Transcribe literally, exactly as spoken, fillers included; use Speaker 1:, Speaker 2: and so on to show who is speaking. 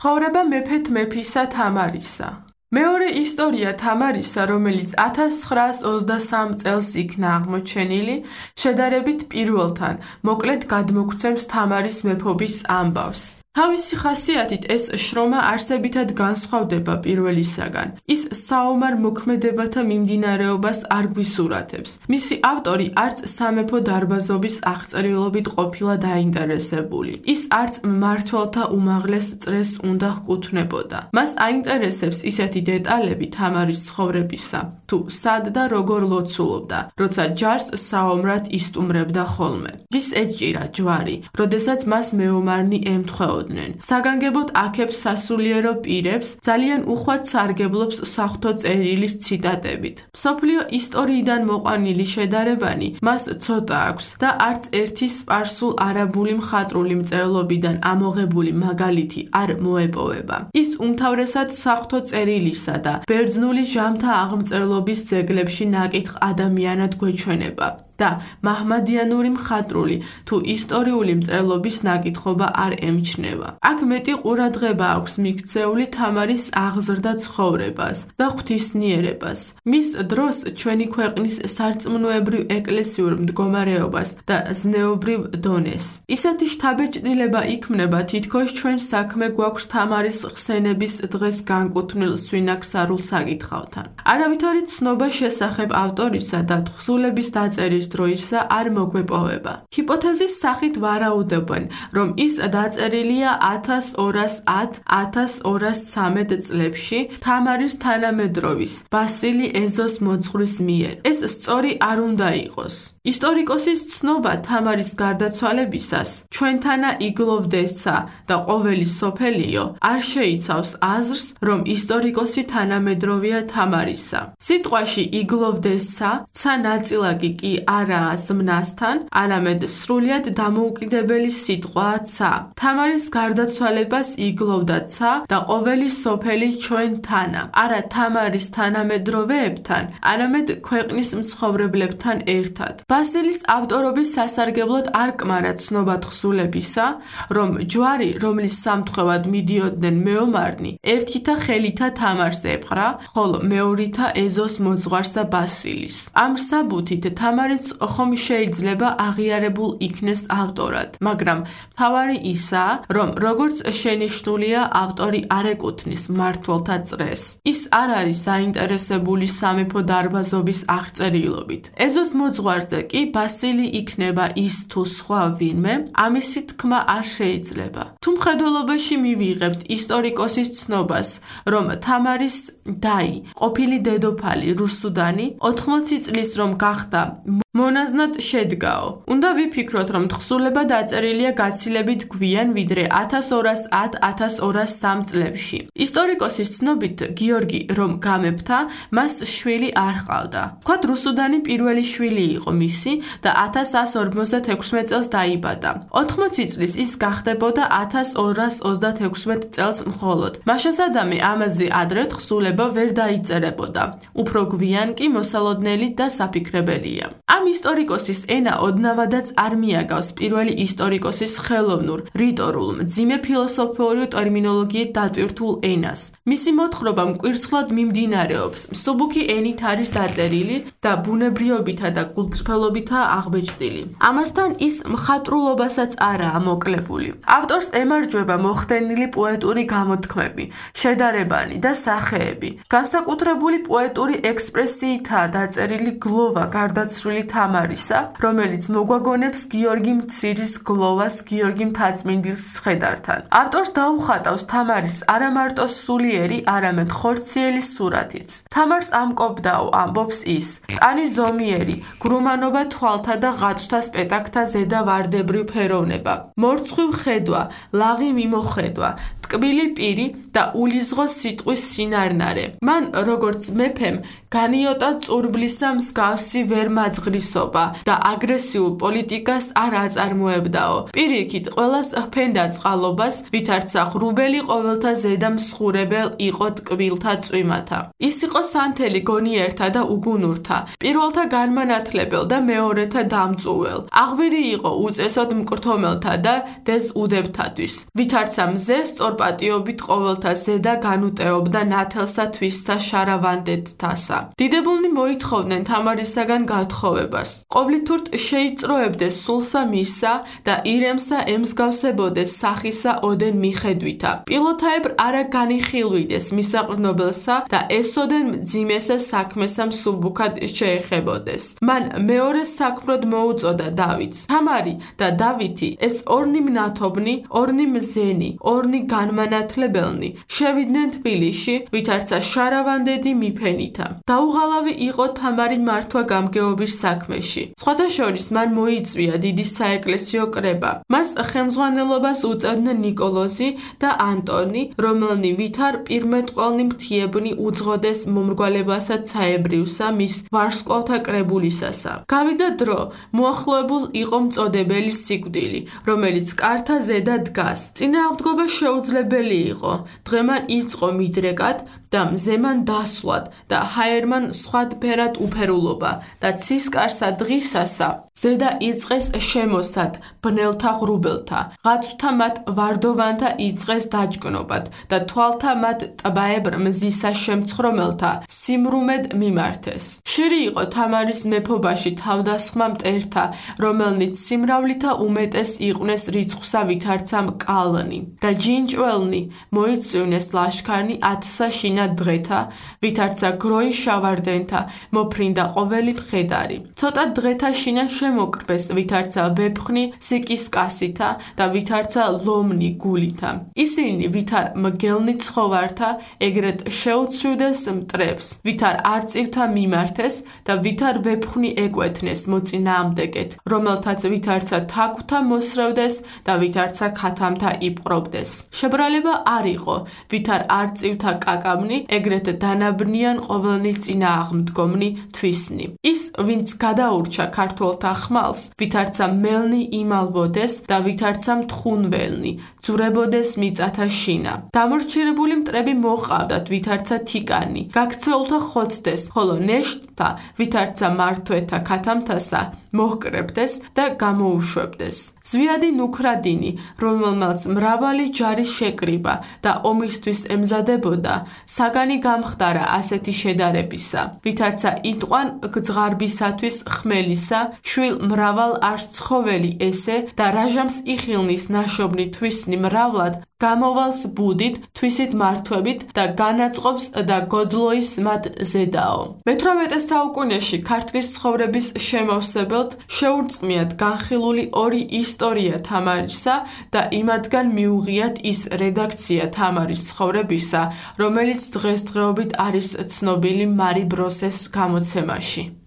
Speaker 1: ცხოვრება მეფეთ მეფისა თამარისა. მეორე ისტორია თამარისა, რომელიც ათას ცხრაას ოცდასამ წელს იქნა აღმოჩენილი, შედარებით პირველთან, მოკლედ გადმოგვცემს თამარის მეფობის ამბავს. თავისი ხასიათით ეს შრომა არსებითად განსხვავდება პირველისაგან. ის საომარ მოქმედებათა მიმდინარეობას არ გვისურათებს. მისი ავტორი არც სამეფო დარბაზობის აღწერილობით ყოფილა დაინტერესებული. ის არც მმართველთა უმაღლეს წრეს უნდა ჰკუთვნებოდა. მას აინტერესებს ისეთი დეტალები თამარის ცხოვრებისა, თუ სად და როგორ ლოცულობდა, როცა ჯარს საომრად ისტუმრებდა ხოლმე. ის ეჭირა ჯვარი, როდესაც მას მეომარნი ემთხვეოდა. საგანგებოდ აქებს სასულიერო პირებს, ძალიან უხვად სარგებლობს საღვთო წერილის ციტატებით. მსოფლიო ისტორიიდან მოყვანილი შედარებანი მას ცოტა აქვს და არც ერთი სპარსულ-არაბული მხატვრული მწერლობიდან ამოღებული მაგალითი არ მოეპოვება. ის უმთავრესად საღვთო წერილისა და ბერძნული ჟამთა აღმწერლობის ძეგლებში ნაკითხ ადამიანად გვეჩვენება. და მაჰმადიანური მხატვრული თუ ისტორიული მწერლობის ნაკითხობა არ ემჩნევა. აქ მეტი ყურადღება აქვს მიქცეული თამარის აღზრდა ცხოვრებას და ღვთისნიერებას, მის დროს ჩვენი ქვეყნის სარწმუნოებრივ ეკლესიურ მდგომარეობას და ზნეობრივ დონეს. ისეთი შთაბეჭდილება იქმნება, თითქოს ჩვენ საქმე გვაქვს თამარის ხსენების დღეს განკუთვნილ სვინაქსარულ საკითხავთან. არავითარი ცნობა შესახებ ავტორისა და თხზულების დაწერის დროისა არ მოგვეპოვება. ჰიპოთეზის სახით ვარაუდობენ, რომ ის დაწერილია ათას ორას ათ - ათას ორას ცამეტ წლებში თამარის თანამედროვის ბასილი ეზოს მოძღვრის მიერ. ეს სწორი არ უნდა იყოს. ისტორიკოსის ცნობა თამარის გარდაცვალებისას ჩვენთანა იგლოვდესა და ყოველი სოფელიო არ შეიცავს აზრს, რომ ისტორიკოსი თანამედროვეა თამარისა. სიტყვაში იგლოვდესა ცა ნაწილაკი კი არაა ზმნასთან, არამედ სრულიად დამოუკიდებელი სიტყვაა ცა. თამარის გარდაცვალებას იგლოვდა ცა და ყოველი სოფელი ჩვენთანა, არა თამარის თანამედროვეებთან, არამედ ქვეყნის მცხოვრებლებთან ერთად. ბასილის ავტორობის სასარგებლოდ არ კმარა ცნობა თხზულებისა, რომ ჯვარი, რომლის სამთხევად მიდიოდნენ მეომარნი, ერთითა ხელითა თამარს ეპყრა, ხოლო მეორითა ეზოს მოძღვარს და ბასილის. ამ საბუთით თამარიც ხომ შეიძლება აღიარებულ იქნეს ავტორად, მაგრამ მთავარი ისაა, რომ როგორც შენიშნულია, ავტორი არ ეკუთვნის მმართველთა წრეს. ის არ არის დაინტერესებული სამეფო დარბაზობის აღწერილობით. ეზოს მოძღვარზე კი ბასილი იქნება ის თუ სხვა ვინმე, ამისი თქმა არ შეიძლება. თუ მხედველობაში მივიღებთ ისტორიკოსის ცნობას, რომ თამარის დაი, ყოფილი დედოფალი რუსუდანი, ოთხმოცი წლის რომ გახდა მონაზნად შედგაო. უნდა ვიფიქროთ, რომ თხზულება დაწერილია გაცილებით გვიან, ვიდრე ათას ორას ათ - ათას ორას სამ წლებში. ისტორიკოსის ცნობით, გიორგი რომ გამეფთა, მას შვილი არ ჰყავდა. ვთქვათ, რუსუდანი პირველი შვილი იყო მისი და ათას ას ორმოცდათექვსმეტ წელს დაიბადა. ოთხმოცი წლის ის გახდებოდა ათას ორას ოცდათექვსმეტ წელს მხოლოდ. მაშასადამე ამაზე ადრე თხზულება ვერ დაიწერებოდა. უფრო გვიან კი მოსალოდნელი და საფიქრებელია. ამ ისტორიკოსის ენა ოდნავადაც არ მიაგავს პირველი ისტორიკოსის ხელოვნურ, რიტორულ, მძიმე ფილოსოფიური ტერმინოლოგიით დატვირთულ ენას. მისი მოთხრობა მკვირცხლად მიმდინარეობს, მსუბუქი ენით არის დაწერილი და ბუნებრიობითა და კულტურელობითაა აღბეჭდილი. ამასთან ის მხატვრულობასაც არაა მოკლებული. ავტორს ემარჯვება მოხდენილი პოეტური გამოთქმები, შედარებანი და სახეები. განსაკუთრებული პოეტური ექსპრესიითაა დაწერილი გლოვა გარდაცვლილი თამარისა, რომელიც მოგვაგონებს გიორგი მცირის გლოვას გიორგი მთაწმინდის ცხედართან. ავტორს დაუხატავს თამარის არა მარტო სულიერი, არამედ ხორციელი სურათიც. თამარს ამკობდაო ამბობს ის, კანი ზომიერი, გრუმანობა თვალთა და ღაცვთა სპეტაკთა ზედა ვარდებრივ ფეროვნება, მორცხვივ ხედვა, ლაღი მიმოხედვა, ტკბილი პირი და ულიზღო სიტყვის სინარნარე. მან როგორც მეფემ განიოტა წურბლისა მსგავსი ვერ მაძღრისობა და აგრესიულ პოლიტიკას არ აწარმოებდაო. პირიქით, ყველას ჰფენდა წყალობას, ვითარცა ღრუბელი ყოველთა ზედა მსხურებელ იყო ტკბილთა წვიმათა. ის იყო სანთელი გონიერთა და უგუნურთა, პირველთა განმანათლებელ და მეორეთა დამწუველ. აღვირი იყო უწესოდ მკრთომელთა და დეზუდებთათვის. ვითარცა მზე სწორპატიობით ყოველთა ზედა განუტეობდა ნათელსა თვისთა შარავანდეთთასა. დიდებულნი მოითხოვდნენ თამარისაგან გათხოვებას. ყოვლითურთ შეიწროებდეს სულსა მისსა და ირემსა ემსგავსებოდეს სახისა ოდენ მიხედვითა. პილოთაებრ არა განიხილვიდეს მისაყრნობელსა და ესოდენ მძიმესა საქმესა მსუბუქად შეეხებოდეს. მან მეორე საქმროდ მოუწოდა დავითს. თამარი და დავითი ეს ორნი მნათობნი, ორნი მზენი, ორნი განმანათლებელნი შევიდნენ თბილისში, ვითარცა შარავანდედი მიფენითა. დაუღალავი იყო თამარი მართვა გამგეობის საქმეში. სხვათა შორის მან მოიწვია დიდი საეკლესიო კრება. მას ხელმძღვანელობას უწევდნენ ნიკოლოზი და ანტონი, რომელნი ვითარ პირმეტყველნი მთიებნი უძღოდეს მომრგვალებასა ცაებრიუსა მის ვარსკვლავთა კრებულისასა. გავიდა დრო, მოახლოებულ იყო მწოდებელი სიკვდილი, რომელიც კართა ზედა დგას. წინააღმდგობა შეუძლებელი იყო. დღემან იწყო მიდრეკად და მზემან დასვლად და ჰაერმან სხვადფერად უფერულობა და ცისკარსა დღისასა ზედა იწყეს შემოსად ბნელთა ღრუბელთა, ღაცუთა მათ ვარდოვანთა იწყეს დაჯგნობად და თვალთა მათ ტბაებრ მზისა შემცხრომელთა სიმრუმედ მიმართეს. ხშირი იყო თამარის მეფობაში თავდასხმა მტერთა, რომელნიც სიმრავლითა უმეტეს იყვნენ რიცხვსა ვითარცა მკალნი და ჯინჭველნი მოიწვივნეს ლაშქარნი ათსა შინა დღეთა, ვითარცა გროი შავარდენთა მოფრინდა ყოველი მხედარი. ცოტა დღეთა შინა შემოკრბეს, ვითარცა ვეფხნი სიკისკასითა და ვითარცა ლომნი გულითა. ისინი ვითარ მგელნი ცხოვართა ეგრეთ შეუცვიდეს მტრებს, ვითარ არწივთა მიმართეს და ვითარ ვეფხნი ეკვეთნეს მოწინააღმდეგეთ, რომელთაც ვითარცა თაგვთა მოსრევდეს და ვითარცა ქათამთა იპყრობდეს. შებრალება არ იყო, ვითარ არწივთა კაკაბნი ეგრეთ დანაბნიან ყოველნი წინააღმდგომნი თვისნი. ის, ვინც გადაურჩა ქართველთა ხმალს, ვითარცა მელნი იმალვოდეს და ვითარცა მთხუნველნი, ძურებოდეს მიწათა შინა. დამორჩილებული მტრები მოჰყავდათ, ვითარცა თიკანი, გაქცეულთა ხოცდეს, ხოლო ნეშტთა, ვითარცა მართვეთა ქათამთასა, მოჰკრებდეს და გამოუშვებდეს. ზვიადი ნუქრადინი, რომელმაც მრავალი ჯარი შეკრიბა და ომისთვის ემზადებოდა, საგანი გამხდარა ასეთი შედარებისა, ვითარცა იტყვან გძღარბისათვის ხმელისა, შვილ მრავალ არს ცხოველი ესე და რაჟამს იხილნის ნაშობნი თვისნი მრავლად, გამოვალს ბუდით, თვისით მართვებით და განაწყობს და გოდლოის მათ ზედაო. მეთვრამეტე საუკუნეში ქართლის ცხოვრების შემავსებელთ შეურწყმიათ განხილული ორი ისტორია თამარისა და იმათგან მიუღიათ ის რედაქცია თამარის ცხოვრებისა, რომელიც დღესდღეობით არის ცნობილი მარი ბროსეს გამოცემაში.